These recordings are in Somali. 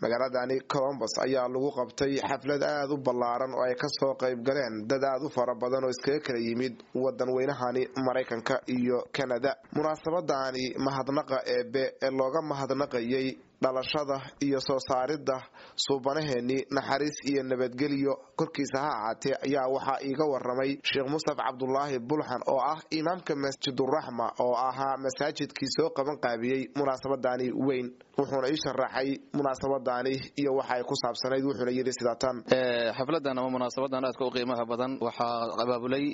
Magaaladani Columbus ayaa lagu qabtay xaflad aad u ballaaran oo ay kasoo qayb galeen dad aad u fara badan oo iskaga kala yimid wadan weynahani Maraykanka iyo Kanada. Munaasabadani mahadnaqa eebe ee looga mahadnaqayay dhalashada iyo soo saaridda suubanaheeni naxariis iyo nabadgelyo korkiisa ha ahaatee ayaa waxaa iiga waramay Sheekh Mustaf Cabdulaahi Bulxan oo ah imaamka Masjiduraxma oo ahaa masaajidkii soo qaban qaabiyey munaasabadani weyn, wuxuuna ii sharaxay munaasabadani iyo waxa ay ku saabsanayd, wuxuuna yidhi sidaatan. Xafladan ama munaasabadan aadka u qiimaha badan waxaa abaabulay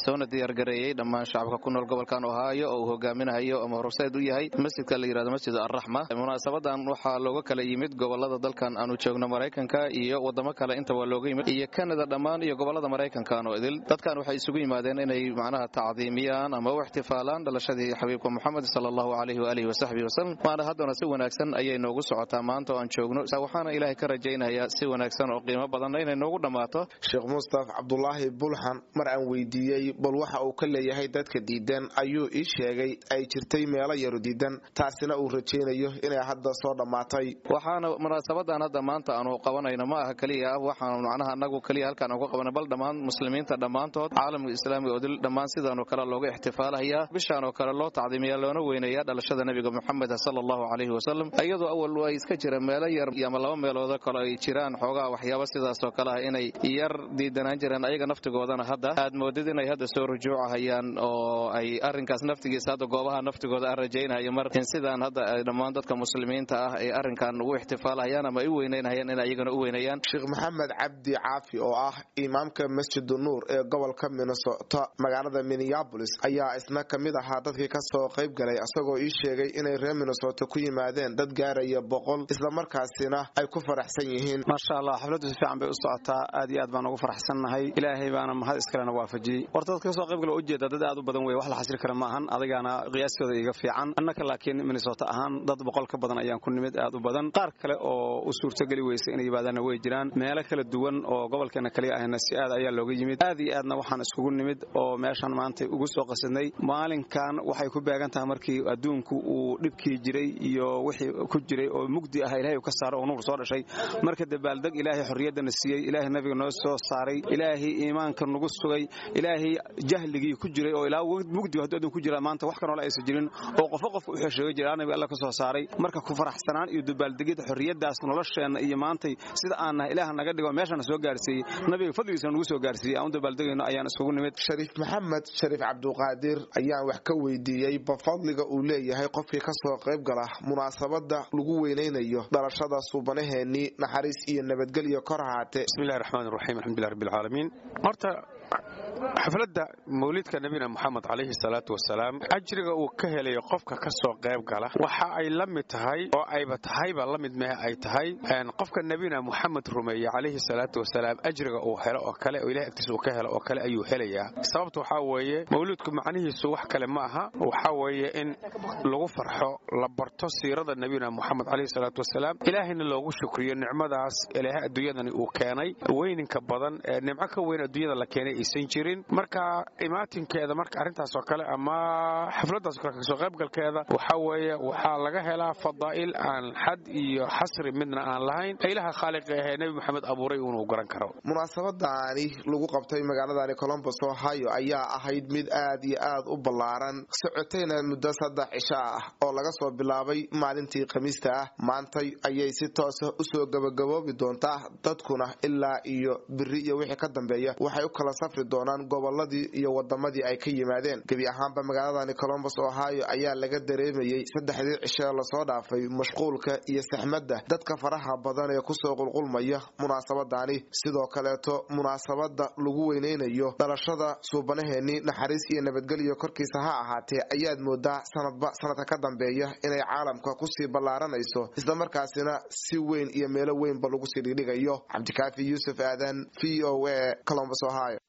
soona diyaargareeyey dhammaan shacabka ku nool gobolkan Ohio oo uu hogaaminayo ama horseed u yahay masjidka la yirahdo Masjid Arraxma. Munaasabadan waxaa looga kala yimid gobolada dalkan aanu joogno Maraykanka iyo wadamo kale inta waa looga yimid iyo Kanada dhammaan iyo gobolada Maraykankan oo idil. Dadkan waxay isugu yimaadeen inay macnaha tacdiimiyaan ama u ixtifaalaan dhalashadii xabiibka Muxamed sallallahu alayhi wa alihi wasaxbihi wasallam. Maana haddana si wanaagsan ayay noogu socotaa maanta oo aan joogno, waxaana Ilaahay ka rajaynayaa si wanaagsan oo qiimo badanna inay noogu dhammaato. Sheekh Mustaf Cabdulaahi Bulxan mar aan weydiiyey bal waxa uu ka leeyahay dadka diidan ayuu ii sheegay ay jirtay meelo yaru diidan, taasina uu rajaynayo inay hadda soo dhammaatay. Waxaana munaasabadan hadda maanta aanu qabanayno ma aha keliya waxaanu macnaha anagu keliya halkaan uga qabana, bal dhammaan muslimiinta dhammaantood caalamka islaamiga oo dil dhammaan sidaanoo kale looga ixtifaalayaa bishaan oo kale loo tacdiimiyaa loona weynayaa dhalashada nabiga Muxamed sallallahu alayhi wasallam, iyadoo awal ay iska jira meelo yar ama laba meeloodo kale ay jiraan xoogaa waxyaabo sidaas oo kale ah inay yar diidanaan jireen, ayaga naftigoodana hadda aad moodid inay hadda soo rujuucahayaan oo ay arrinkaas naftigiisa hadda goobaha naftigooda aan rajaynayo mar in sidaan hadda ay dhammaan dadka muslimiinta ah ay arrinkan ugu ixtifaalahayaan ama ay u weynaynayaan in ayagana u weynayaan. Sheekh Maxamed Cabdi Caafi oo ah imaamka Masjid Nuur ee gobolka Minnesota magaalada Minneapolis ayaa isna ka mid ahaa dadkii kasoo qayb galay, isagoo ii sheegay inay reer Minnesota ku yimaadeen dad gaaraya 100 islamarkaasina ay ku faraxsan yihiin. Maasha Allah, xafladdu si fiican bay u socotaa, aad iyo aad baan ugu faraxsannahay, Ilaahay baana mahad iskalena waafajiyey. Horta dadka kasoo qayb gala ujeeda dad aad u badan wey, wax la xasri kara ma ahan, adigana qiyaastooda iiga fiican. Annaka laakiin Minnesota ahaan dad 100 ka badan ayaan ku nimid, aad u badan. Qaar kale oo u suurtogeli weysa inay yimaadaanna way jiraan, meelo kala duwan oo gobolkeena kaliya ahna si aad ayaa looga yimid. Aad iyo aadna waxaan iskugu nimid oo meeshan maanta ugu soo qasadnay. Maalinkan waxay ku beegan tahay markii adduunku uu dhibkii jiray iyo wixii ku jiray oo mugdi ah Ilaahay uu ka saaro oo nuur soo dhashay. Marka dabaaldeg Ilaahay xorriyaddana siiyey, Ilaahay nabiga noo soo saaray, Ilaahay iimaanka nagu sugay, Ilaahay jahligii ku jiray oo ilaa mugdi hadduu adduun ku jira maanta wax kanoole aysan jirin oo qofo qofka u xesheegay jira nabiga Alla ka soo saaray. Marka ku faraxsanaan iyo dabaaldegida xorriyaddaas nolosheenna iyo maantay sida aan nahay Ilaah naga dhigo meeshana soo gaarsiiyey, nabiga fadligiisa nagu soo gaarsiiyey aan u dabaaldegayno ayaan iskugu nimid. Shariif Maxamed Shariif Cabduqaadir ayaan wax ka weydiiyey bafadliga uu leeyahay qofkii kasoo qayb gala munaasabada lagu weynaynayo dhalashada suubanaheeni naxariis iyo nabadgelyo kor ahaatee. Bismillahi raxmaani raxiim, alxamdulillahi rabbil caalamiin. Horta xafladda mawlidka nabina Muxamed calayhi salaatu wasalaam ajriga uu ka helayo qofka ka soo qayb gala waxa ay la mid tahay oo ayba tahayba la mid mehe ay tahay qofka nabina Muxamed rumeeye calayhi salaatu wasalaam ajriga uu helo oo kale oo Ilahay agtiisa uu ka helo oo kale ayuu helayaa. Sababta waxaa weeye mawlidku macnihiisu wax kale ma aha, waxaa weeye in lagu farxo, la barto siirada nabina Muxamed calayhi salaatu wasalaam, Ilaahayna loogu shukriyo nicmadaas Ilaahay adduunyadani uu keenay weyninka badan ee nimco ka weyn adduunyada la keenay aysan jirin. Marka imaatinkeeda marka arrintaas oo kale ama xafladdaas oo kale kasoo qaybgalkeeda waxaa weeye waxaa laga helaa fadaa'il aan xad iyo xasri midna aan lahayn, Ilaha khaaliqa ahee Nebi Maxamed abuuray uunuu garan karo. Munaasabadani lagu qabtay magaaladani Columbus Ohio ayaa ahayd mid aad iyo aad u ballaaran, socotayna muddo 3 cisho ah oo laga soo bilaabay maalintii Khamiista ah. Maantay ayay si toosa usoo gabagaboobi doontaa, dadkuna ilaa iyo biri iyo wixii ka dambeeya waxay u kala safri doonaan goboladii iyo wadamadii ay ka yimaadeen. Gebi ahaanba magaaladani Columbus Ohio ayaa laga dareemayey 3dii cisho lasoo dhaafay mashquulka iyo saxmadda dadka faraha badan ee kusoo qulqulmaya munaasabadani. Sidoo kaleeto munaasabada lagu weynaynayo dhalashada suubanaheeni naxariis iyo nabadgelyo korkiisa ha ahaatee ayaad moodaa sanadba sanadka ka dambeeya inay caalamka kusii ballaaranayso, islamarkaasina si weyn iyo meelo weynba lagu sii dhigdhigayo. Cabdikaafi Yuusuf Aadan, VOA, Columbus Ohio.